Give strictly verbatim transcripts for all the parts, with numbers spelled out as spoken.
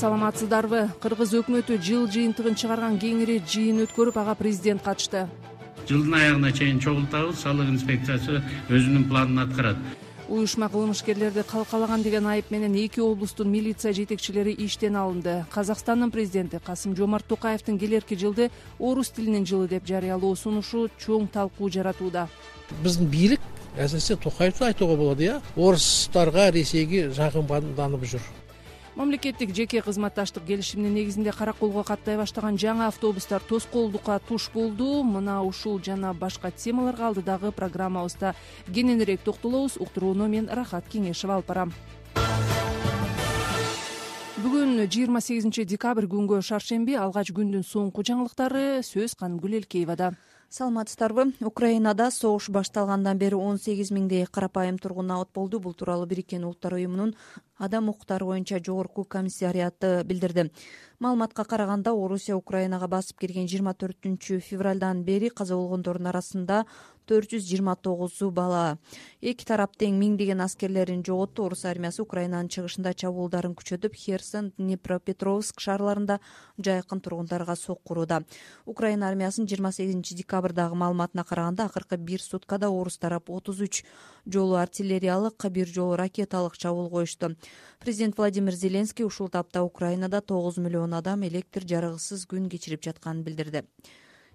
саламатсыздарбы? Кыргыз өкмөтү жыл жыйынтыгын чыгарган кеңири жыйын өткөрүп, ага президент катышты. Жылдын аягына чейин чогултабыз, салык инспекциясы өзүнүн планын аткарат. Уюшма кылмышкерлерди калкалаган деген айып менен эки облустун милиция жетекчилери иштен алынды. Казакстандын президенти Касым-Жомарт Токаевдин келерки жылды орус тилинин жылы деп жарыялоо сунушу чоң талкуу жаратууда. Биздин бийлик әсіресе Токаевди айтууга болот, э, орустарга, Ресейге жакынданып жүр. Мамлекеттик жеке кызматташтык келишиминин негизинде караколго каттай баштаган жаңы автобустар тоскоолдукка туш болду. Мына ушул жана башка темаларга алдыдагы программабызда кененирээк токтолобуз. Уктурууну мен Рахат Кеңешева алып барам. Бүгүн жыйырма сегизинчи декабрь күнгө шаршемби, алгач күндүн соңку жаңылыктары сөз Канымгүл Элкеевада. Саламатсыздарбы? Украинада согуш башталгандан бери он сегиз миңдей карапайым тургун абот болду. Бул тууралуу Бириккен Улуттар уюмунун адам укуктары боюнча жогорку комиссариаты билдирди. Маалыматка караганда, Орусия Украинага басып кирген жыйырма төртүнчү февралдан бери каза болгондордун арасында төрт жүз жыйырма тогузу бала. Эки тарап тең миңдеген аскерлерин жоготту. Орус армиясы Украинанын чыгышында чабуулдарын күчөтүп, Херсон, Днепропетровск шаарларында жайкын тургундарга соккурууда. Украина армиясынын жыйырма сегизинчи декабрдагы маалыматына караганда, акыркы бир суткада орус тарап отуз үч жолу артиллериялык, бир жолу ракеталык чабуул коюшту. Президент Владимир Зеленский ушул тапта Украинада тогуз миллион адам электр жарыгысыз күн кечирип жатканын билдирди.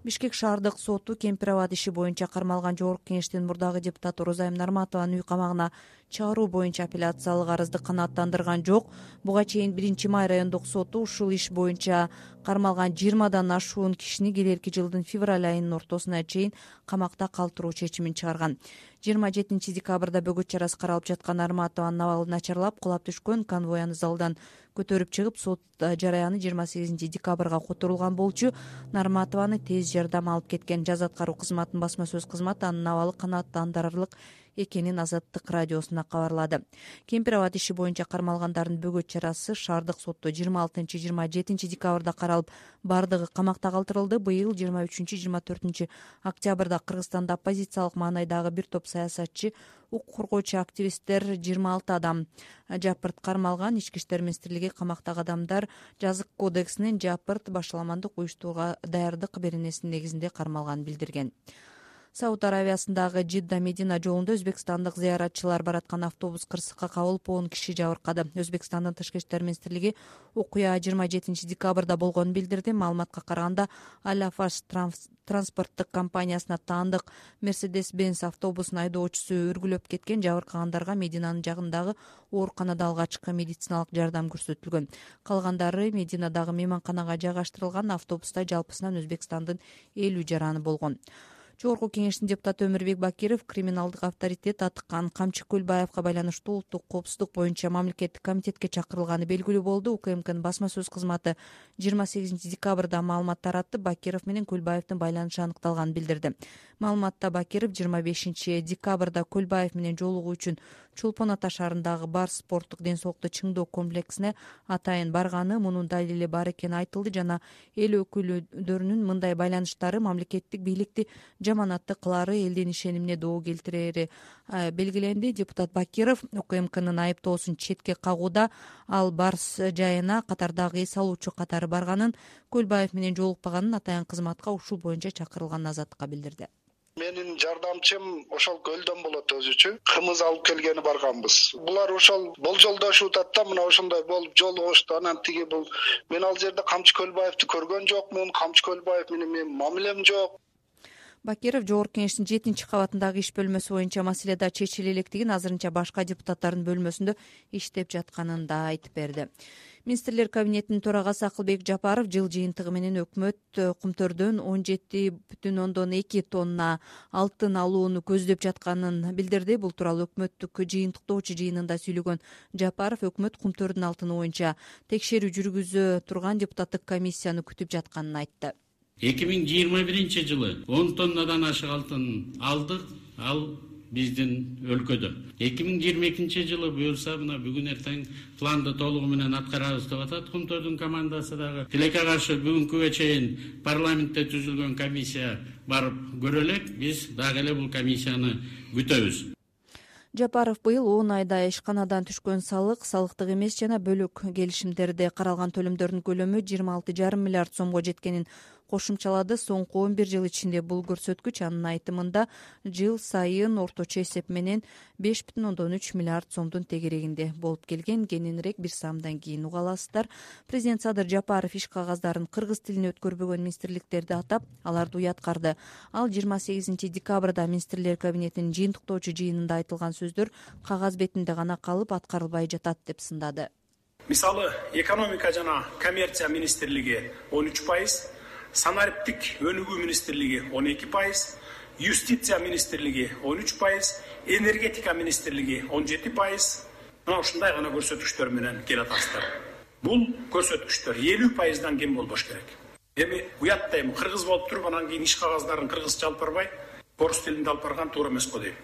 Бишкек шаардык соту Кемпир абад иши боюнча кармалган Жогорку Кеңештин мурдагы депутаты Розайым Нарматованын үй камагына чыгаруу боюнча апелляциялык арызды канааттандырган жок. Буга чейин биринчи май райондук соту ушул иш боюнча кармалган жыйырмадан ашуун кишини келерки жылдын февраль айынын ортосуна чейин камакта калтыруу чечимин чыгарган. жыйырма жетинчи декабрда бөгөт чарасы каралып жаткан Нарматованын абалы начарлап, кулап түшкөн. Конвой аны залдан көтөрүп чыгып, сот жараяны жыйырма сегизинчи декабрга которулган болчу. Нарматованы тез жардам алып кеткен. Жаз аткаруу кызматынын басма сөз кызматы анын абалы канааттандырарлык экенин Азаттык радиосуна кабарлады. Кемпир абад иши боюнча кармалгандардын бөгөт чарасы шаардык сотто жыйырма алтынчы жыйырма жетинчи декабрда каралып, бардыгы камакта калтырылды. Быйыл жыйырма үчүнчү жыйырма төртүнчү октябрда Кыргызстанда оппозициялык маанайдагы бир топ саясатчы, укук коргоочу активисттер жыйырма алты адам жапырт кармалган. Ички иштер министрлиги камактагы адамдар жазык кодексинин жапырт башаламандык уюштурууга даярдык беренесинин негизинде кармалганын билдирген. Сауд Аравиясындагы Жидда Медина жолунда өзбекстандык зыяратчылар бараткан автобус кырсыкка кабылып, он киши жабыркады. Өзбекстандын тышкы иштер министрлиги окуя жыйырма жетинчи декабрда болгонун билдирди. Маалыматка караганда, Аляфаш транспорттук компаниясына таандык Mercedes-Benz автобусунун айдоочусу үргүлөп кеткен. Жабыркагандарга Мединанын жагындагы ооруканада алгачкы медициналык жардам көрсөтүлгөн. Калгандары Мединадагы мейманканага жайгаштырылган. Автобуста жалпысынан Өзбекстандын элүү жараны болгон. Жогорку Кеңештин депутаты Өмүрбек Бакиров криминалдык авторитет аткан Камчы Көлбаевга байланыштуу улуттук коопсуздук боюнча мамлекеттик комитетке чакырылганы белгилүү болду. УКМКнын басма сөз кызматы жыйырма сегизинчи декабрда маалымат таратып, Бакиров менен Көлбаевдин байланышы аныкталганын билдирди. Маалыматта Бакиров жыйырма бешинчи декабрда Көлбаев менен жолугуу үчүн Чолпон Ата шаарындагы бар спорттук ден соолукту чыңдоо комплексине атайын барганы, мунун далили бар экени айтылды жана эл өкүлдөрүнүн мындай байланыштары мамлекеттик бийликти жаманатты кылары, элдин ишенимине доо келтирери белгиленди. Депутат Бакиров УКМКнын айыптоосун четке кагууда, ал Барс жайына катардагы эс алуучу катары барганын, Көлбаев менен жолукпаганын, атайын кызматка ушул боюнча чакырылганын Азаттыкка билдирди. Менин жардамчым ошол көлдөн болот өзүчү. Кымыз алып келгени барганбыз. Булар ошол болжолдошуп атат да, мына ошондой болуп жолугушту. Анан тиги бул мен ал жерде Камчы Көлбаевди көргөн жокмун. Камчы Көлбаев менен менин мамилем жок. Бакиров Жогорку Кеңештин жетинчи кабатындагы иш бөлмөсү боюнча маселеде чечиле электигин, азырынча башка депутаттардын бөлмөсүндө иштеп жатканын да айтып берди. Министрлер кабинетинин төрагасы Акылбек Жапаров жыл жыйынтыгы менен өкмөт Кумтөрдөн он жети бүтүн ондон эки тонна алтын алууну көздөп жатканын билдирди. Бул тууралуу өкмөттүк жыйынтыктоочу жыйынында сүйлөгөн Жапаров өкмөт Кумтөрдүн алтыны боюнча текшерүү жүргүзө турган депутаттык комиссияны күтүп жатканын айтты. эки миң жыйырма биринчи жылы он тоннадан ашык алтын алдык, ал биздин өлкөдө. эки миң жыйырма экинчи жылы буюрса, мына бүгүн эртең планды толугу менен аткарабыз деп атат Кумтөрдүн командасы дагы. Тилекке каршы бүгүнкүгө чейин парламентте түзүлгөн комиссия барып көрө элек, биз дагы эле бул комиссияны күтөбүз. Жапаров быйыл он айда ишканадан түшкөн салык, салыктык эмес жана бөлүк келишимдерде каралган төлөмдөрдүн көлөмү жыйырма алты жарым миллиард сомго жеткенин кошумчалады. Соңку он бир жыл ичинде бул көрсөткүч анын айтымында жыл сайын орточо эсеп менен беш бүтүн ондон үч миллиард сомдун тегерегинде болуп келген. Кененирээк бир самдан кийин уга аласыздар. Президент Садыр Жапаров иш кагаздарын кыргыз тилине өткөрбөгөн министрликтерди атап, аларды уяткарды. Ал жыйырма сегизинчи декабрда министрлер кабинетинин жыйынтыктоочу жыйынында айтылган сөздөр кагаз бетинде гана калып, аткарылбай жатат деп сындады. Мисалы, экономика жана коммерция министрлиги он үч пайыз, санариптик өнүгүү министрлиги он эки пайыз, юстиция министрлиги он үч пайыз, энергетика министрлиги он жети пайыз. Мына ушундай гана көрсөткүчтөр менен келатасыздар. Бул көрсөткүчтөр элүү пайыздан кем болбош керек. Эми уяттайм, кыргыз болуп туруп, анан кийин иш кагаздарын кыргызча алып барбай, орус тилинде алып барган туура эмес го дейм.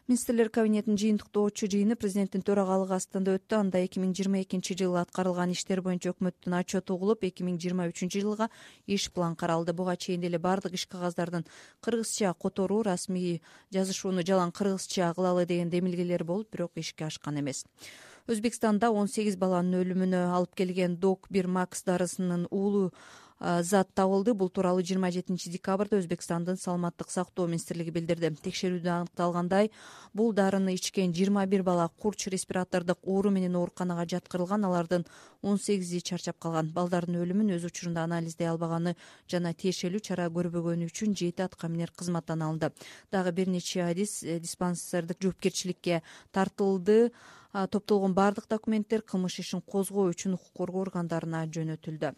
Министрлер кабинетинин жыйынтыктоочу жыйыны президенттин төрагалыгы астында өттү. Анда эки миң жыйырма экинчи жылы аткарылган иштер боюнча өкмөттүн отчету угулуп, эки миң жыйырма үчүнчү жылга иш план каралды. Буга чейин деле бардык иш кагаздардын кыргызча которуу, расмий жазышууну жалаң кыргызча кылалы деген демилгелер болуп, бирок ишке ашкан эмес. Өзбекстанда он сегиз баланын өлүмүнө алып келген док бир макс дарысынын уулу зат табылды. Бул тууралуу жыйырма жетинчи декабрда Өзбекстандын саламаттык сактоо министрлиги билдирди. Текшерүүдө аныкталгандай, бул дарыны ичкен жыйырма бир бала курч респиратордук оору менен ооруканага жаткырылган. Алардын он сегизи чарчап калган. Балдардын өлүмүн өз учурунда анализдей албаганы жана тиешелүү чара көрбөгөнү үчүн жети аткаминер кызматтан алынды. Дагы бир нече адис диспансердик жоопкерчиликке тартылды. Топтолгон бардык документтер кылмыш ишин козгоо үчүн укук коргоо органдарына жөнөтүлдү.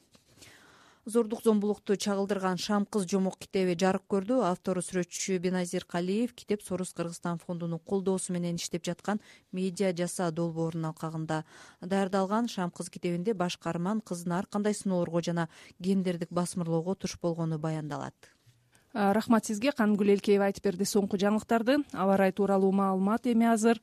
Зордук зомбулукту чагылдырган Шам кыз жомок китеби жарык көрдү. Автору сүрөтчү Беназир Калиев китеп Сорус Кыргызстан фондунун колдоосу менен иштеп жаткан медиа жаса долбоорунун алкагында даярдалган. Шам кыз китебинде баш каарман кыздын ар кандай сыноолорго жана гендердик басмырлоого туш болгону баяндалат. Рахмат сизге. Кангүл Элкеева айтып берди соңку жаңылыктарды. Аба ырайы тууралуу маалымат эми азыр.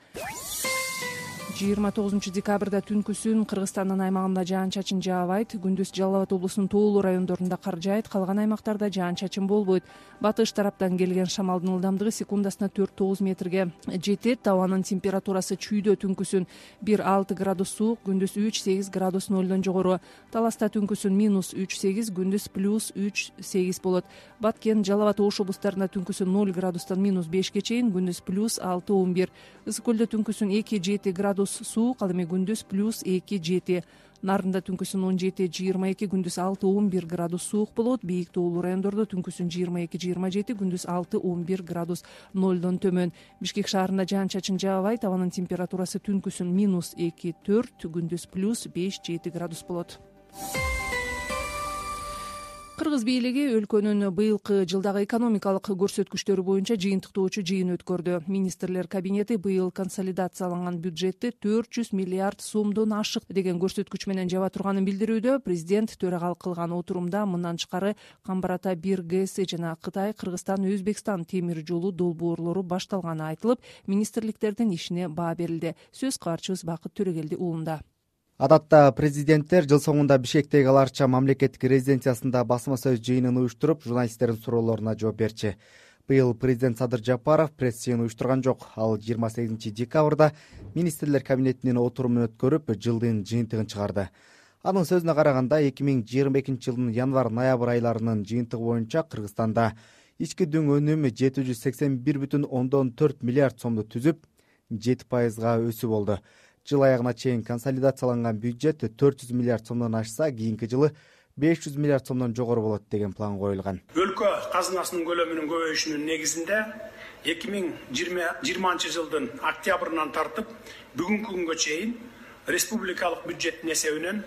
жыйырма тогузунчу декабрда түнкүсүн Кыргызстандын аймагында жаан-чачын жаабайт. Күндүз Жалал Абад облусунун тоолуу райондорунда кар жаайт, калган аймактарда жаан-чачын болбойт. Батыш тараптан келген шамалдын ылдамдыгы секундасына төрт тогуз метрге жетет. Абанын температурасы чүйдө түнкүсүн бир алты градус суук, күндүз үч сегиз градус нолдон жогору. Таласта түнкүсүн минус үч сегиз, күндүз плюс үч сегиз болот. Баткен, Жалал Абад, Ош облустарында түнкүсүн ноль градустан минус бешке чейин, күндүз плюс алты он бир. Ысык көлдө түнкүсүн эки жети градус суук, ал эми күндүз плюс эки жети. Нарында түнкүсүн он жети жыйырма эки, күндүз алты он бир градус суук болот. Бийик тоолуу райондордо түнкүсүн жыйырма эки жыйырма жети, күндүз алты он бир градус нолдон төмөн. Бишкек шаарында жаан-чачын жаабайт. Абанын температурасы түнкүсүн минус эки төрт, күндүз плюс беш жети градус болот. Кыргыз бийлиги өлкөнүн быйылкы жылдагы экономикалык көрсөткүчтөрү боюнча жыйынтыктоочу жыйын өткөрдү. Министрлер кабинети быйыл консолидацияланган бюджетти төрт жүз миллиард сомдон ашык деген көрсөткүч менен жаба турганын билдирүүдө. Президент төрагалык кылган отурумда мындан тышкары Камбар Ата бир ГЭСи жана Кытай, Кыргызстан, Өзбекстан темир жолу долбоорлору башталганы айтылып, министрликтердин ишине баа берилди. Сөз каарчыбыз Бакыт Төрөгелди уулунда. Адатта президенттер жыл соңунда Бишкектеги Аларча мамлекеттик резиденциясында басма сөз жыйынын уюштуруп, журналисттердин суроолоруна жооп берчү. Быйыл президент Садыр Жапаров пресс жыйын уюштурган жок. Ал жыйырма сегизинчи декабрда министрлер кабинетинин отурумун өткөрүп, жылдын жыйынтыгын чыгарды. Анын сөзүнө караганда, эки миң жыйырма экинчи жылдын январь-ноябрь айларынын жыйынтыгы боюнча Кыргызстанда ички дүң өнүмү жети жүз сексен бир бүтүн ондон төрт миллиард сомду түзүп, жети пайызга өсүү болду. Жыл аягына чейин консолидацияланган бюджет төрт жүз миллиард сомдон ашса, кийинки жылы беш жүз миллиард сомдон жогору болот деген план коюлган. Өлкө казынасынын көлөмүнүн көбөйүшүнүн негизинде эки миң жыйырманчы жылдын октябрынан тартып бүгүнкү күнгө чейин республикалык бюджеттин эсебинен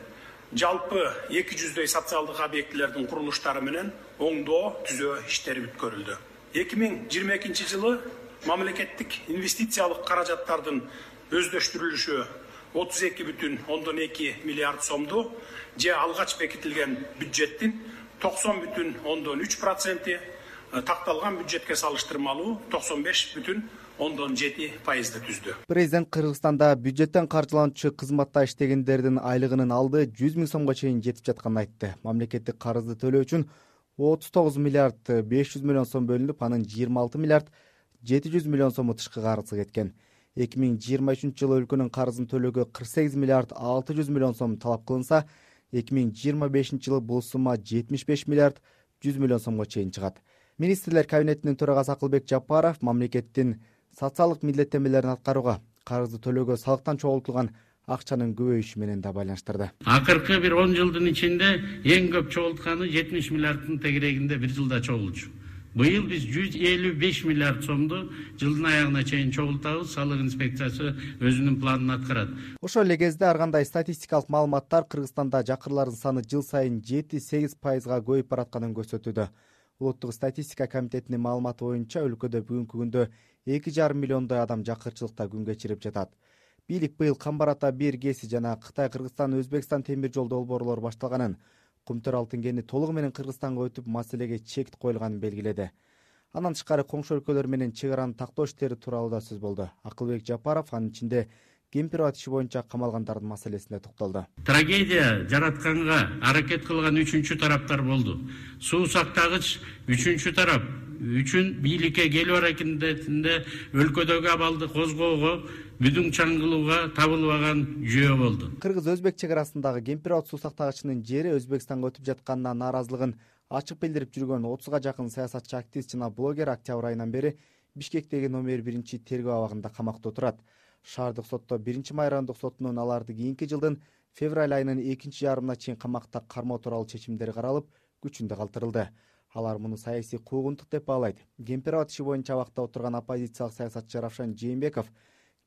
жалпы эки жүздөй социалдык объектилердин курулуштары менен оңдоо түзөө иштери бүткөрүлдү. эки миң жыйырма экинчи жылы мамлекеттик инвестициялык каражаттардын өздөштүрүлүшү отуз эки бүтүн ондон эки миллиард сомду, же алгач бекитилген бюджеттин токсон бүтүн ондон үч проценти, такталган бюджетке салыштырмалуу токсон беш бүтүн ондон жети пайызды түздү. Президент Кыргызстанда бюджеттен каржыланчу кызматта иштегендердин айлыгынын алды жүз миң сомго чейин жетип жатканын айтты. Мамлекеттик карызды төлөө үчүн отуз тогуз миллиард беш жүз миллион сом бөлүнүп, анын жыйырма алты миллиард жети жүз миллион сому тышкы карызы кеткен. эки миң жыйырма үчүнчү жылы өлкөнүн карызын төлөөгө кырк сегиз миллиард алты жүз миллион сом талап кылынса, эки миң жыйырма бешинчи жылы бул сумма жетимиш беш миллиард жүз миллион сомго чейин чыгат. Министрлер кабинетинин төрагасы Акылбек Жапаров мамлекеттин социалдык милдеттенмелерин аткарууга, карызды төлөөгө салыктан чогултулган акчанын көбөйүшү менен да байланыштырды. Акыркы бир он жылдын ичинде эң көп чогултканы жетимиш миллиарддын тегерегинде бир жылда чогулчу. Быйыл биз жүз элүү беш миллиард сомду жылдын аягына чейин чогултабыз. Салык инспекциясы өзүнүн планын аткарат. Ошол эле кезде ар кандай статистикалык маалыматтар Кыргызстанда жакырлардын саны жыл сайын жети сегиз пайызга көбөйүп баратканын көрсөтүүдө. Улуттук статистика комитетинин маалыматы боюнча өлкөдө бүгүнкү күндө эки жарым миллиондой адам жакырчылыкта күн кечирип жатат. Бийлик быйыл Камбар ата бир ГЭСи жана Кытай Кыргызстан Өзбекстан темир жол долбоорлору башталганын, Кумтөр алтын кени толугу менен Кыргызстанга өтүп маселеге чек коюлганын белгиледи. Андан тышкары коңшу өлкөлөр менен чек араны тактоо иштери тууралуу да сөз болду. Акылбек Жапаров анын ичинде Кемпирова иши боюнча камалгандардын маселесине токтолду. Трагедия жаратканга аракет кылган үчүнчү тараптар болду. Суу сактагыч үчүнчү тарап үчүн бийликке келүү аракетинде өлкөдөгү абалды козгоого, бүдүң чаңгылууга табылбаган жөө болду. Кыргыз-Өзбек чек арасындагы Кемпирова суу сактагычынын жери Өзбекстанга өтүп жатканына нааразылыгын ачык билдирип жүргөн отузга жакын саясатчы, активист жана блогер октябрь айынан бери Бишкектеги номер биринчи тергөө абагында камакта отурат. Шаардык сотто биринчи май райондук сотунун аларды кийинки жылдын февраль айынын экинчи жарымына чейин камакта кармоо тууралуу чечимдери каралып, күчүндө калтырылды. Алар муну саясий куугунтук деп баалайт. Кемпирова иши боюнча абакта отурган оппозициялык саясатчы Равшан Жээнбеков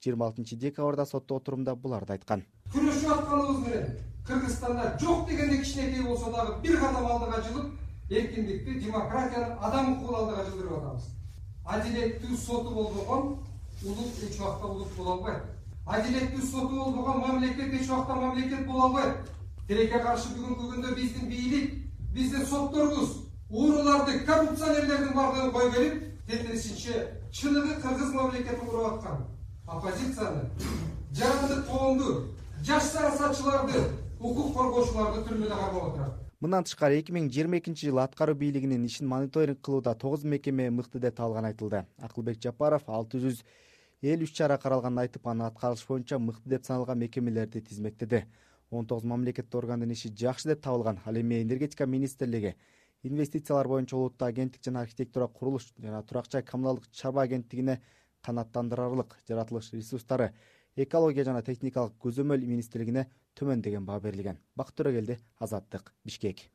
жыйырма алтынчы декабрда сотто отурумда буларды айткан. Күрөшүп атканыбыз менен Кыргызстанда жок дегенде кичинекей болсо дагы бир кадам алдыга жылып, эркиндикти, демократияны, адам укугун алдыга жылдырып атабыз. Адилеттүү соту болбогон улут эч убакта улут боло албайт. Адилеттүү соту болбогон мамлекет эч убакта мамлекет боло албайт. Тилекке каршы бүгүнкү күндө биздин бийлик, биздин сотторубуз ууруларды, коррупционерлердин бардыгын кой келип, тетиришинче чыныгы кыргыз мамлекетин куруп аткан оппозицияны, жарандык коомду, жаш саясатчыларды, укук коргоочуларды түрмөдө кармап отурат. Мындан тышкары эки миң жыйырма экинчи жылы аткаруу бийлигинин ишин мониторинг кылууда тогуз мекеме мыкты деп табылганы айтылды. Акылбек Жапаров алты жүз элүү үч чара каралганын айтып, аны аткарыш боюнча мыкты деп саналган мекемелерди тизмектеди. он тогуз мамлекеттик органдын иши жакшы деп табылган. Ал эми энергетика министрлиги, инвестициялар боюнча улуттук агенттик жана архитектура, курулуш жана турак жай коммуналдык чарба агенттигине канааттандырарлык жаратылыш ресурстары, экология жана техникалык көзөмөл министрлигине төмөн деген баа берилген. Бакыт Төрөгелди, Азаттык, Бишкек.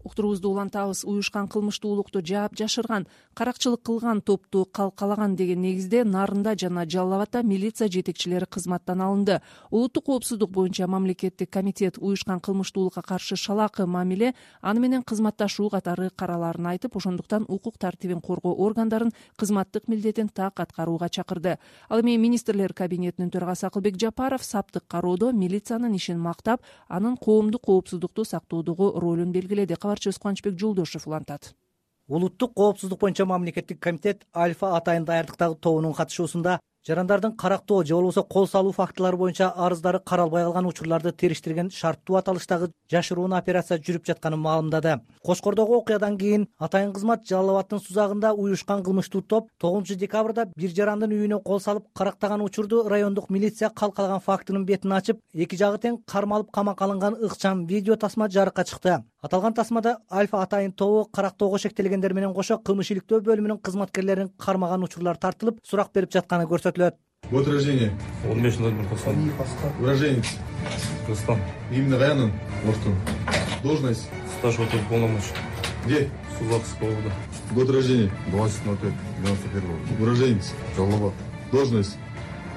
Уктуруубузду улантабыз. Уюшкан кылмыштуулукту жаап жашырган, каракчылык кылган топту калкалаган деген негизде Нарында жана Жалал Абадда милиция жетекчилери кызматтан алынды. Улуттук коопсуздук боюнча мамлекеттик комитет уюшкан кылмыштуулукка каршы шалаакы мамиле, аны менен кызматташуу катары караларын айтып, ошондуктан укук тартибин коргоо органдарын кызматтык милдетин так аткарууга чакырды. Ал эми министрлер кабинетинин төрагасы Акылбек Жапаров саптык кароодо милициянын ишин мактап, анын коомдук коопсуздукту сактоодогу ролун белгиледи. Кабарчыбыз Кубанычбек Жолдошев улантат. Улуттук коопсуздук боюнча мамлекеттик комитет Альфа Атайын даярдыктагы тобунун катышуусунда жарандардын карактоо же болбосо кол салуу фактылары боюнча арыздары каралбай калган учурларды териштирген шарттуу аталыштагы жашыруун операция жүрүп жатканын маалымдады. Кошкордогу окуядан кийин Атайын кызмат Жалал Абаддын Сузагында уюшкан кылмыштуу топ тогузунчу декабрда бир жарандын үйүнө кол салып карактаган учурду райондук милиция калкалаган фактынын бетин ачып, эки жагы тең кармалып камакка алынган ыкчам видео тасма жарыкка чыкты. Аталган тасмада Альфа Атайын тобу карактоого шектелгендер менен кошо кылмыш иликтөө бөлүмүнүн кызматкерлерин кармаган учурлар тартылып, сурак берип жатканы көрсөтүлөт. Год рождения. он беш ноль бир токсон. Уроженец. Кыргызстан. Именно Гаянын. Оштун. Должность. Старший полномочий. Где? Сузакского года. Год рождения. двадцать ноль пять девяносто первого. Уроженец. Жалал Абад. Должность.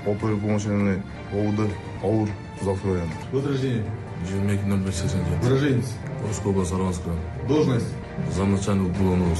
Оперуполномоченный ОУД АУР Сузакский район. Год рождения. жыйырма эки ноль беш сексен жети. Уроженец. Орская область, Сарванская. Должность. Замначальник уголовного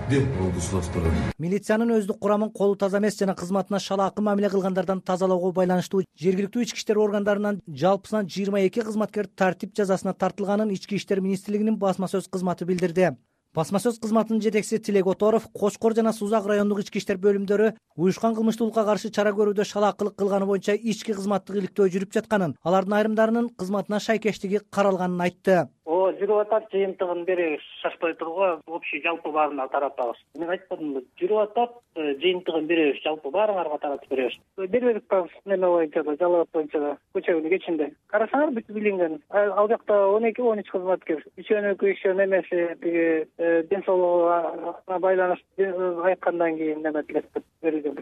Где? Сузакский район. Милициянын өздүк курамын колу таза эмес жана кызматына шалаакы мамиле кылгандардан тазалоого байланыштуу жергиликтүү ички иштер органдарынан жалпысынан жыйырма эки кызматкер тартип жазасына тартылганын Ички иштер министрлигинин басма сөз кызматы билдирди. Басма сөз кызматынын жетекчиси Тилек Оторов Кошкор жана Сузак райондук ички иштер бөлүмдөрү уюшкан кылмыштуулукка каршы чара көрүүдө шалаакылык кылганы боюнча ички кызматтык иликтөө жүрүп жатканын, алардын айрымдарынын кызматына шайкештиги каралганын айтты. О жүрүп атат, жыйынтыгын беребиз, шашпай тургула общий жалпы баарына таратабыз. Мен айтпадымбы, жүрүп атат, жыйынтыгын беребиз, жалпы баарыңарга таратып беребиз. Бербедик да неме боюнча да, жалаат боюнча да, көчө күнү кечинде. Карасаңар бүт билинген. Ал жакта он эки он үч кызматкер. Үчөөнүкү ишөө немеси тиги ден соолугуна байланыштуу айткандан кийин неме тилеп берилген.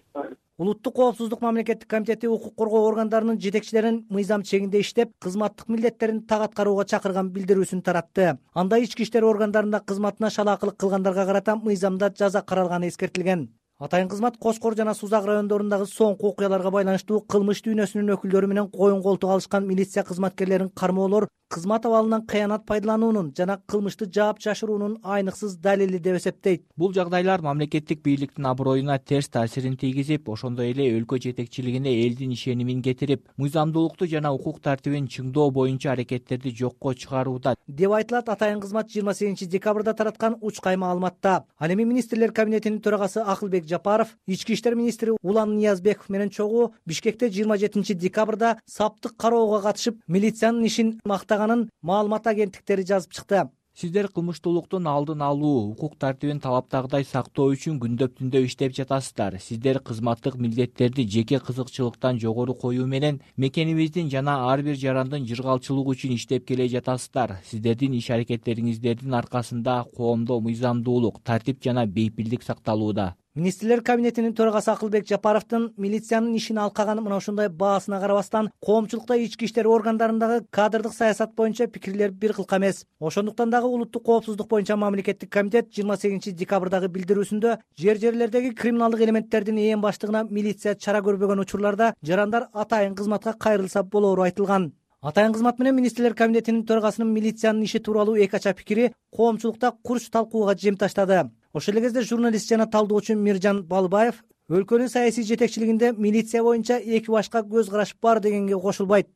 Улуттук коопсуздук мамлекеттик комитети укук коргоо органдарынын жетекчилерин мыйзам чегинде иштеп, кызматтык милдеттерин так аткарууга чакырган билдирүүсүн таратты. Анда ички иштер органдарында кызматына шалаакылык кылгандарга карата мыйзамда жаза каралганы эскертилген. Атайын кызмат Кошкор жана Сузак райондорундагы соңку окуяларга байланыштуу кылмыш дүйнөсүнүн өкүлдөрү менен коюн колтук алышкан милиция кызматкерлерин кармоолор кызмат абалынан кыянат пайдалануунун жана кылмышты жаап жашыруунун айныксыз далили деп эсептейт. Бул жагдайлар мамлекеттик бийликтин аброюна терс таасирин тийгизип, ошондой эле өлкө жетекчилигине элдин ишенимин кетирип, мыйзамдуулукту жана укук тартибин чыңдоо боюнча аракеттерди жокко чыгарууда деп айтылат атайын кызмат жыйырма сегизинчи декабрда тараткан учкай маалыматта. Ал эми министрлер кабинетинин төрагасы Акылбек Жапаров, ички иштер министри Улан Ниязбеков менен чогуу Бишкекте жыйырма жетинчи декабрда саптык кароого катышып, милициянын ишин мактаганын маалымат агенттиктери жазып чыкты. Сиздер кылмыштуулуктун алдын алуу, укук тартибин талаптагыдай сактоо үчүн күндөп түндө иштеп жатасыздар. Сиздер кызматтык милдеттерди жеке кызыкчылыктан жогору коюу менен мекенибиздин жана ар бир жарандын жыргалчылыгы үчүн иштеп келе жатасыздар. Сиздердин иш аракеттериңиздердин аркасында коомдо мыйзамдуулук, тартип жана бейпилдик сакталууда. Министрлер кабинетинин төрагасы Акылбек Жапаровдун милициянын ишин алкаганы мына ушундай баасына карабастан, коомчулукта ички иштер органдарындагы кадрдык саясат боюнча пикирлер бир кылка эмес. Ошондуктан дагы улуттук коопсуздук боюнча мамлекеттик комитет жыйырма сегизинчи декабрдагы билдирүүсүндө жер-жерлердеги криминалдык элементтердин ээн баштыгына милиция чара көрбөгөн учурларда жарандар атайын кызматка кайрылса болоору айтылган. Атайын кызмат менен министрлер кабинетинин төрагасынын милициянын иши тууралуу эки ача пикири коомчулукта курч талкууга жем таштады. Ошол эле кезде журналист жана талдоочу Миржан Балыбаев өлкөнүн саясий жетекчилигинде милиция боюнча эки башка көз караш бар дегенге кошулбайт.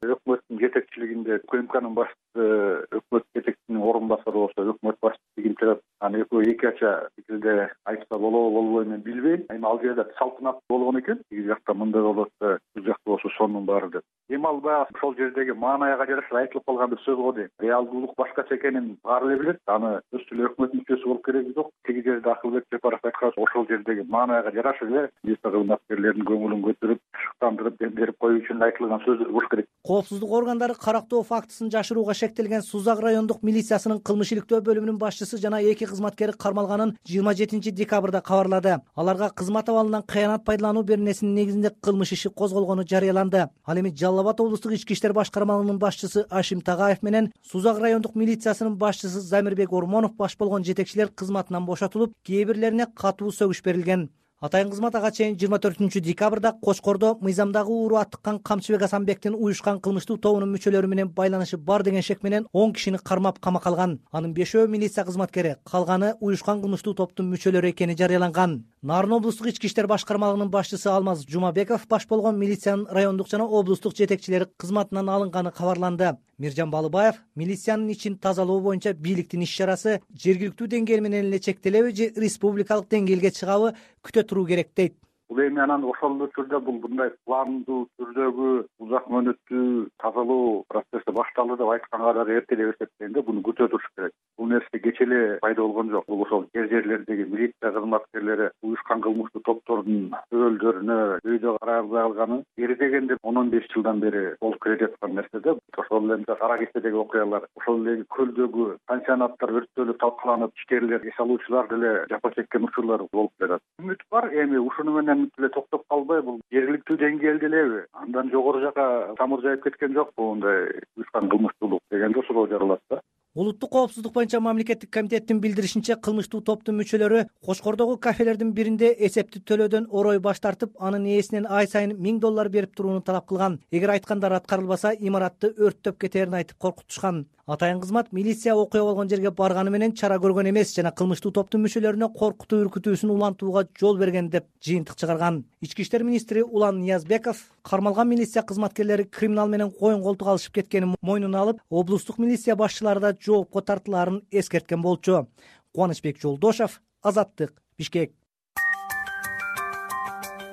Өкмөттүн жетекчилигинде УКМКнын башчысы, өкмөт жетекчисинин орун басары болсо өкмөт башчысы ким турат, аны экөө эки ача пикирде айтса болобу болбойбу мен билбейм. Эми ал жерде салтанат болгон экен, тиги жакта мындай болот, бул жакта болсо сонун баары деп. Эми ал баягы ошол жердеги маанайга жараша айтылып калган бир сөз го дейм. Реалдуулук башкача экенин баары эле билет. Аны өз эле өкмөт мүчөсү болуп кереги жок. Тиги жерде Акылбек Жапаров айткан ошол жердеги маанайга жараша эле милиция кызматкерлеринин көңүлүн көтөрүп, шыктандырып, дем берип коюу үчүн айтылган сөздөр болуш керек. Коопсуздук органдары карактоо фактысын жашырууга шектелген Сузак райондук милициясынын кылмыш иликтөө бөлүмүнүн башчысы жана эки кызматкери кармалганын жыйырма жетинчи декабрда кабарлады. Аларга кызмат абалынан кыянат пайдалануу беренесинин негизинде кылмыш иши козголгону жарыяланды. Ал эми Жалал Абад облустук ички иштер башкармалыгынын башчысы Ашим Тагаев менен Сузак райондук милициясынын башчысы Замирбек Ормонов баш болгон жетекчилер кызматынан бошотулуп, кээ бирлерине катуу сөгүш берилген. Атайын кызмат ага чейин жыйырма төртүнчү декабрда Кошкордо мыйзамдагы ууру аттыккан Камчыбек Асанбектин уюшкан кылмыштуу тобунун мүчөлөрү менен байланышы бар деген шек менен он кишини кармап камакка алган. Анын бешөө милиция кызматкери, калганы уюшкан кылмыштуу топтун мүчөлөрү экени жарыяланган. Нарын облустук ички иштер башкармалыгынын башчысы Алмаз Жумабеков баш болгон милициянын райондук жана облустук жетекчилери кызматынан алынганы кабарланды. Миржан Балыбаев милициянын ичин тазалоо боюнча бийликтин иш чарасы жергиликтүү деңгээл менен эле чектелеби же республикалык деңгээлге чыгабы күтө туруу керек дейт. Бул эми анан ошол түрдө бул мындай пландуу түрдөгү узак мөөнөттүү тазалоо процесси башталды деп айтканга дагы эрте деп эсептейм да, буну күтө туруш керек. Бул нерсе кече эле пайда болгон жок. Бул ошол жер жерлердеги милиция кызматкерлери уюшкан кылмыштуу топтордун өбөлдөрүнө өйдө карабай алганы бери дегенде он он беш жылдан бери болуп келе жаткан нерсе да. Ошол эле Кара Кечедеги окуялар, ошол эле көлдөгү пансионаттар өрттөлүп талкаланып, ишкерлер, эс алуучулар деле жапа чеккен учурлар болуп жатат. Үмүт бар, эми ушуну менен эле токтоп калбай, бул жергиликтүү деңгээлде элеби, андан жогору жака тамыр жайып кеткен жокпу мындай уюшкан кылмыштуулук дегенде суроо жаралат да. Улуттук коопсуздук боюнча мамлекеттик комитеттин билдиришинче, кылмыштуу топтун мүчөлөрү Кошкордогу кафелердин биринде эсепти төлөөдөн орой баш тартып, анын ээсинен ай сайын миң доллар берип турууну талап кылган. Эгер айткандар аткарылбаса, имаратты өрттөп кетерин айтып коркутушкан. Атайын кызмат милиция окуя болгон жерге барганы менен чара көргөн эмес жана кылмыштуу топтун мүчөлөрүнө коркутуу үркүтүүсүн улантууга жол берген деп жыйынтык чыгарган. Ички иштер министри Улан Ниязбеков кармалган милиция кызматкерлери криминал менен коюн колтук алышып кеткенин мойнуна алып, облустук милиция башчылары да жоопко тартылаарын эскерткен болчу. Кубанычбек Жолдошов, Азаттык, Бишкек.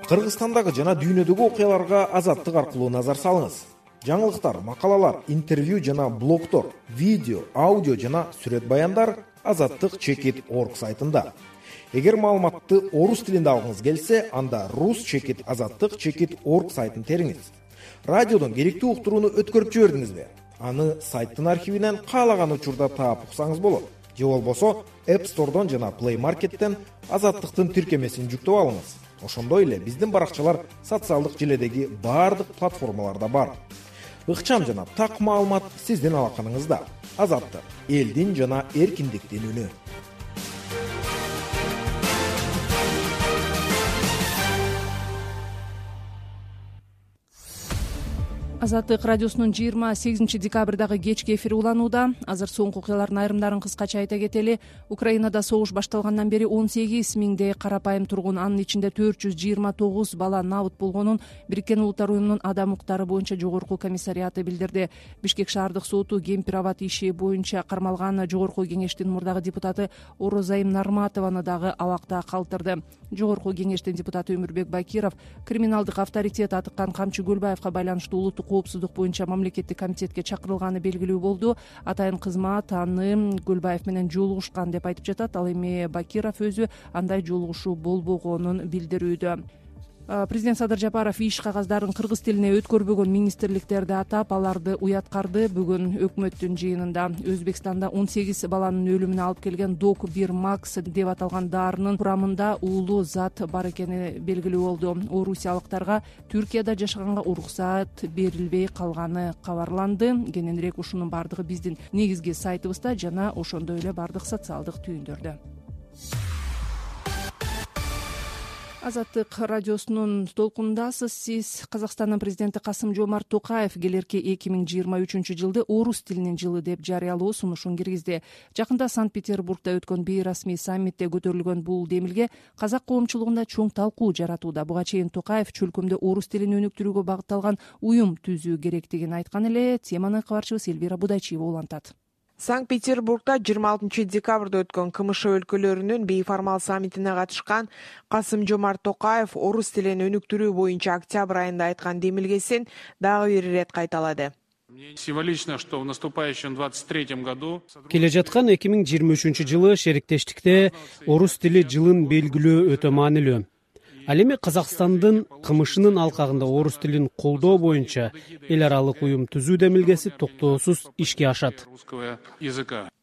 Кыргызстандагы жана дүйнөдөгү окуяларга Азаттык аркылуу назар салыңыз. жаңылыктар, макалалар, интервью жана блогдор, видео, аудио жана сүрөт баяндар азаттык чекит точка орг сайтында. Эгер маалыматты орус тилинде алгыңыз келсе, анда рус чекит азаттык чекит точка орг сайтын териңиз. Радиодон керектүү уктурууну өткөрүп жибердиңизби? Аны сайттын архивинен каалаган учурда таап уксаңыз болот. Же болбосо App Store'дон жана Play Market'тен азаттыктын тиркемесин жүктөп алыңыз. Ошондой эле биздин баракчалар социалдык желедеги баардык платформаларда бар. Ыкчам жана так маалымат сиздин алаканыңызда. Азаттык — элдин жана эркиндиктин үнү. Азаттык радиосунун жыйырма сегизинчи декабрдагы кечки эфири уланууда. Азыр соңку окуялардын айрымдарын кыскача айта кетели. Украинада согуш башталгандан бери он сегиз миңдей карапайым тургун, анын ичинде төрт жүз жыйырма тогуз бала набыт болгонун Бириккен Улуттар уюмунун адам укуктары боюнча жогорку комиссариаты билдирди. Бишкек шаардык соту Кемпир-Абад иши боюнча кармалган жогорку кеңештин мурдагы депутаты Орозайым Нарматованы дагы абакта калтырды. Жогорку кеңештин депутаты Өмүрбек Бакиров криминалдык авторитет атыккан Камчы Көлбаевка байланыштуу улуттук коопсуздук боюнча мамлекеттик комитетке чакырылганы белгилүү болду. Атайын кызмат аны Көлбаев менен жолугушкан деп айтып жатат. Ал эми Бакиров өзү андай жолугушуу болбогонун билдирүүдө. Президент Садыр Жапаров иш кагаздарын кыргыз тилине өткөрбөгөн министрликтерди атап, аларды уяткарды. Бүгүн өкмөттүн жыйынында Өзбекстанда он сегиз баланын өлүмүнө алып келген Док бир Макс деп аталган дарынын курамында уулуу зат бар экени белгилүү болду. Орусиялыктарга Түркияда жашаганга уруксат берилбей калганы кабарланды. Кененирээк ушунун бардыгы биздин негизги сайтыбызда жана ошондой эле бардык социалдык түйүндөрдө. Азаттык радиосунун толкунундасыз. Сиз Казакстандын президенти Касым-Жомарт Токаев келерки эки миң жыйырма үчүнчү жылды орус тилинин жылы деп жарыялоо сунушун киргизди. Жакында Санкт-Петербургда өткөн бейрасмий саммитте көтөрүлгөн бул демилге казак коомчулугунда чоң талкуу жаратууда. Буга чейин Токаев чөлкөмдө орус тилин өнүктүрүүгө багытталган уюм түзүү керектигин айткан эле. Теманы кабарчыбыз Элвира Будайчиева улантат. Санкт-Петербургда жыйырма алтынчы декабрда өткөн КМШ өлкөлөрүнүн бейформал саммитине катышкан Касым-Жомарт Токаев орус тилин өнүктүрүү боюнча октябрь айында айткан демилгесин дагы бир ирет кайталады. Символично, что в наступающем двадцать третьем году келе жаткан эки миң жыйырма үчүнчү жылы шериктештикте орус тили жылын белгилөө өтө маанилүү. Ал эми Казакстандын КМШнын алкагында орус тилин колдоо боюнча эл аралык уюм түзүү демилгеси токтоосуз ишке ашат,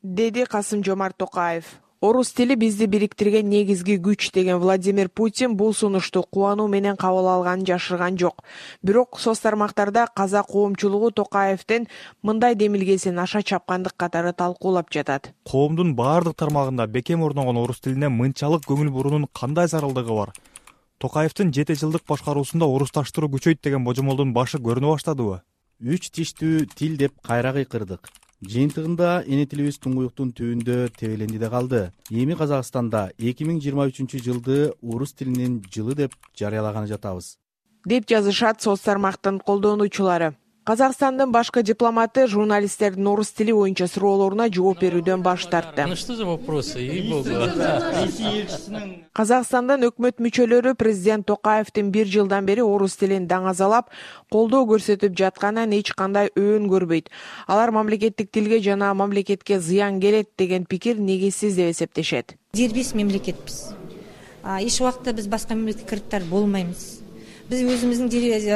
деди Касым-Жомарт Токаев. Орус тили бизди бириктирген негизги күч деген Владимир Путин бул сунушту кубануу менен кабыл алганын жашырган жок. Бирок соц тармактарда казак коомчулугу Токаевдин мындай демилгесин аша чапкандык катары талкуулап жатат. Коомдун баардык тармагында бекем орногон орус тилине мынчалык көңүл буруунун кандай зарылдыгы бар? Токаевдин жети жылдык башкаруусунда орусташтыруу күчөйт деген божомолдун башы көрүнө баштадыбы? Үч тиштүү тил деп кайра кыйкырдык. Жыйынтыгында эне тилибиз туңгуюктун түбүндө тебеленди да калды. Эми Казакстанда эки миң жыйырма үчүнчү жылды орус тилинин жылы деп жарыялаганы жатабыз, деп жазышат соц тармактын колдонуучулары. Казакстандын башкы дипломаты журналисттердин орус тили боюнча суроолоруна жооп берүүдөн баш тартты. Ну что за вопросы, ей-богу. Казакстандын өкмөт мүчөлөрү президент Токаевдин бир жылдан бери орус тилин даңазалап, колдоо көрсөтүп жатканынан эч кандай өөн көрбөйт. Алар мамлекеттик тилге жана мамлекетке зыян келет деген пикир негизсиз деп эсептешет. Дербес мемлекетпиз. Эч убакта биз башка мемлекетке кириптар болбойбуз. Biz өзүбүздүн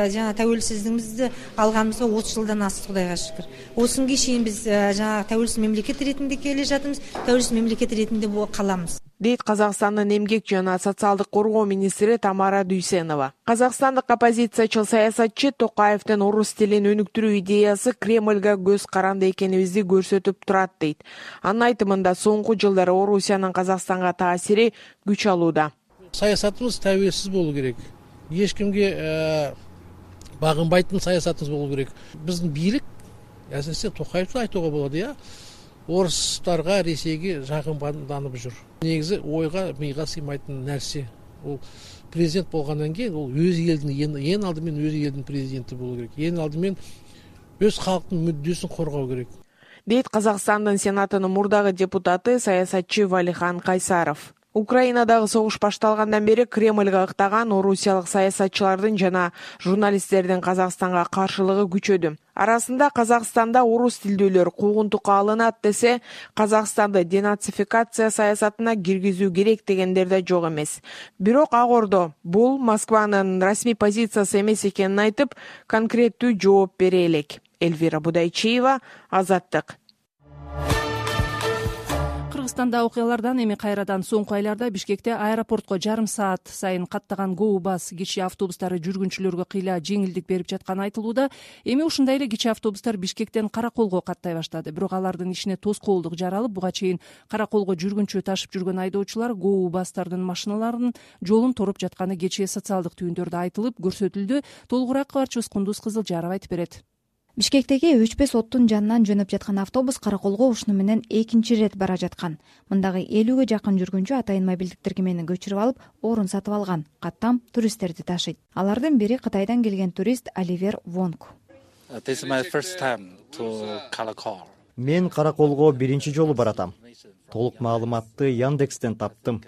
жана тәуелсиздигибизди алганыбызга отуз жылдан асты, Кудайга шүкүр. Осунга чейин биз жана тәуелсиз мемлекет ретинде келе жатабыз, тәуелсиз мемлекет ретинде калабыз, дейт Казакстандын эмгек жана социалдык коргоо министри Тамара Дүйсенова. Казакстандык оппозициячыл саясатчы Токаевдин орус тилин өнүктүрүү идеясы Кремльга көз каранды экенибизди көрсөтүп турат дейт. Анын айтымында соңку жылдары Орусиянын Казакстанга таасири күч алууда. Саясатыбыз тәуелсиз болуу керек. Эч кимге багынбайтын саясатыбыз болуу керек. Биздин бийлик, әсіресе Токаевды айтууга болот, я, орустарга, Ресейге жагымданып жүр. Негизи ойга, мыйга сыймайтын нерсе. Ол президент болгондон кийин ол өз элдин, эң алды менен өз элдин президенти болуу керек. Эң алды менен өз калктын мүддөсүн коргоо керек, дейт Казакстандын Сенатынын мурдагы депутаты саясатчы Валихан Кайсаров. Украинадагы согуш башталгандан бери Кремльга ыктаган орусиялык саясатчылардын жана журналисттердин Казакстанга каршылыгы күчөдү. Арасында Казакстанда орус тилдүүлөр куугунтукка алынат десе, Казакстанды денацификация саясатына киргизүү керек дегендер да жок эмес. Бирок Ак Ордо бул Москванын расмий позициясы эмес экенин айтып, конкреттүү жооп бере элек. Эльвира Будайчиева, Азаттык. Кыргызстанда окуялардан эми кайрадан соңку айларда Бишкекте аэропортко жарым саат сайын каттаган Go Bus кичи автобустары жүргүнчүлөргө кыйла жеңилдик берип жатканы айтылууда. Эми ушундай эле кичи автобустар Бишкектен Караколго каттай баштады. Бирок алардын ишине тоскоолдук жаралып, буга чейин Караколго жүргүнчү ташып жүргөн айдоочулар Go Bus'тардын машиналарынын жолун торуп жатканы кечээ социалдык түйүндөрдө айтылып көрсөтүлдү. Толугураак кабарчыбыз Кундуз Кызылжарова айтып берет. Бишкектеги өчпөс оттун жанынан жөнөп жаткан автобус Караколго ушуну менен экинчи ирет бара жаткан. Мындагы элүүгө жакын жүргүнчү атайын мобилдик тиркемени көчүрүп алып, орун сатып алган. Каттам туристтерди ташыйт. Алардын бири Кытайдан келген турист Оливер Вонг. Мен Караколго биринчи жолу баратам. Толук маалыматты Яндекстен таптым.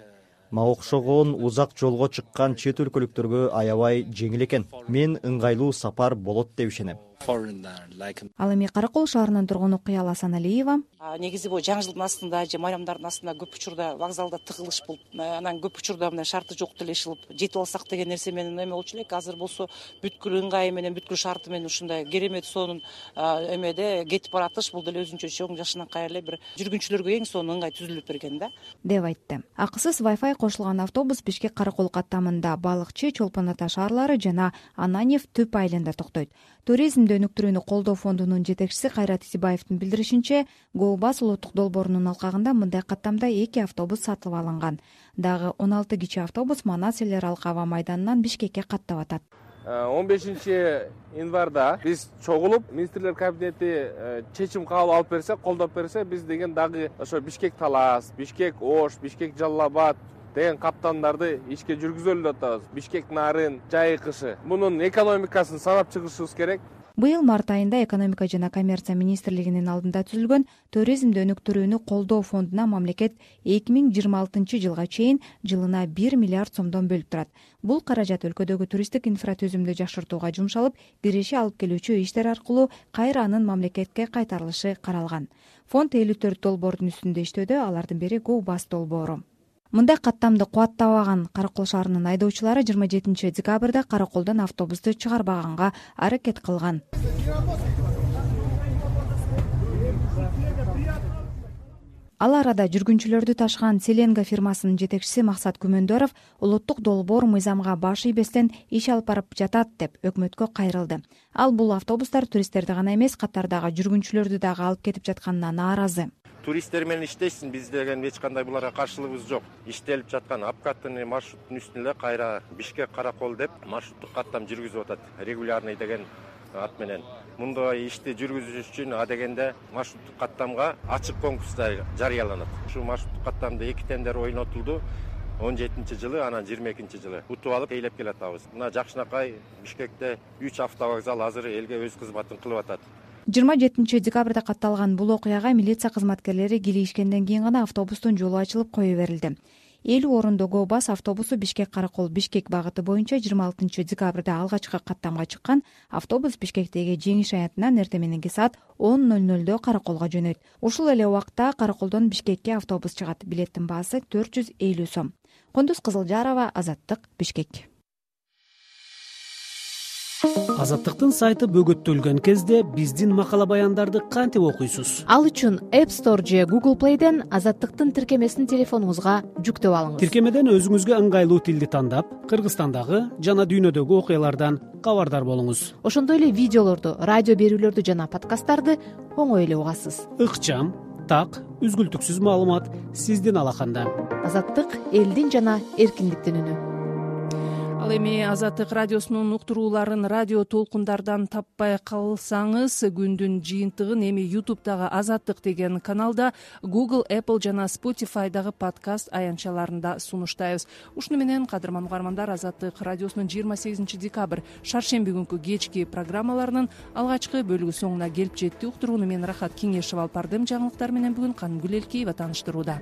Мага окшогон узак жолго чыккан чет өлкөлүктөргө аябай жеңил экен. Мен ыңгайлуу сапар болот деп ишенем. Ал эми Каракол шаарынын тургуну Кыял Асаналиева. Негизи бул жаңы жылдын астында же майрамдардын астында көп учурда вокзалда тыгылыш болуп, анан көп учурда мына шарты жок делешилип жетип алсак деген нерсе менен эме болчу элек. Азыр болсо бүткүл ыңгайы менен, бүткүл шарты менен ушундай керемет сонун эмеде кетип баратыш, бул деле өзүнчө чоң жашынакай эле бир жүргүнчүлөргө эң сонун ыңгай түзүлүп берген да. Деп айтты. Акысыз Wi-Fi кошулган автобус Бишкек Каракол каттамында Балыкчы, Чолпон Ата шаарлары жана Ананьев Түп айылында токтойт. Туризмди өнүктүрүүнү колдоо фондунун жетекчиси Кайрат Исибаевдин билдиришинче, Go Bus улуттук долбоорунун алкагында мындай каттамда эки автобус сатылып алынган. Дагы он алты кичи автобус Манас элер алка аба майданынан Бишкекке каттап атат. он бешинчи январда биз чогулуп, министрлер кабинети чечим кабыл алып берсе, колдоп берсе, биз деген дагы ошо Бишкек Талас, Бишкек Ош, Бишкек Жалал Абад деген каттамдарды ишке жүргүзөлүп атабыз. Бишкек Нарын, Жайкышы. Мунун экономикасын санап чыгышыбыз керек. Быйыл март айында экономика жана коммерция министрлигинин алдында түзүлгөн туризмди өнүктүрүүнү колдоо фондуна мамлекет эки миң жыйырма алтынчы жылга чейин жылына бир миллиард сомдон бөлүп турат. Бул каражат өлкөдөгү туристтик инфратүзүмдү жакшыртууга жумшалып, киреше алып келүүчү иштер аркылуу кайра анын мамлекетке кайтарылышы каралган. Фонд элүү төрт долбоордун үстүндө иштөөдө, алардын бири Go Bus долбоору. Мындай каттамды кубаттабаган Каракол шаарынын айдоочулары жыйырма жетинчи декабрда Караколдон автобусту чыгарбаганга аракет кылган. Ал арада жүргүнчүлөрдү ташыган Селенга фирмасынын жетекчиси Максат Күмөндөров улуттук долбоор мыйзамга баш ийбестен иш алып барып жатат деп өкмөткө кайрылды. Ал бул автобустар туристтерди гана эмес, катардагы жүргүнчүлөрдү дагы алып кетип жатканына нааразы. Туристтер менен иштейсиң, биз деген эч кандай буларга каршылыгыбыз жок. Иштелип жаткан апкаттын маршруттун үстүнө кайра Бишкек Каракол деп маршруттук каттам жүргүзүп атат. Регулярный деген ат менен. Мындай ишти жүргүзүш үчүн а дегенде маршруттук каттамга ачык конкурстар жарыяланат. Ушу маршруттук каттамда эки тендер ойнотулду. он жетинчи жылы, анан жыйырма экинчи жылы утуп алып тейлеп келатабыз. Мына жакшынакай Бишкекте үч автовокзал азыр элге өз кызматын кылып атат. жыйырма жетинчи декабрда катталган бул окуяга милиция кызматкерлери килишкенден кийин гана автобустун жолу ачылып кое берилди. элүү орундуу Go Bus автобусу Бишкек Каракол Бишкек багыты боюнча жыйырма алтынчы декабрда алгачкы каттамга чыккан. Автобус Бишкектеги Жеңиш аянтынан эртең мененки саат он ноль нольдо Караколго жөнөйт. Ушул эле убакта Караколдон Бишкекке автобус чыгат. Билеттин баасы төрт жүз элүү сом. Кундуз Кызылжарова, Азаттык, Бишкек. Азаттыктын сайты бөгөттөлгөн кезде биздин макала баяндарды кантип окуйсуз? Ал үчүн App Store же Google Play'ден Азаттыктын тиркемесин телефонуңузга жүктөп алыңыз. Тиркемеден өзүңүзгө ыңгайлуу тилди тандап, Кыргызстандагы жана дүйнөдөгү окуялардан кабардар болуңуз. Ошондой эле видеолорду, радио берүүлөрдү жана подкасттарды оңой эле угасыз. Ыкчам, так, үзгүлтүксүз маалымат сиздин алаканда. Азаттык элдин жана эркиндиктин үнү. Ал эми Азаттык радиосунун уктурууларын радио толкундардан таппай калсаңыз, күндүн жыйынтыгын эми YouTube'дагы Азаттык деген каналда, Google, Apple жана Spotify'дагы подкаст аянтчаларында сунуштайбыз. Ушуну менен, кадырман угармандар, Азаттык радиосунун жыйырма сегизинчи декабрь шаршемби күнкү кечки программаларынын алгачкы бөлүгү соңуна келип жетти. Уктурууну мен Рахат Кеңешева алып бардым. Жаңылыктар менен бүгүн Канымгүл Элкеева тааныштырууда.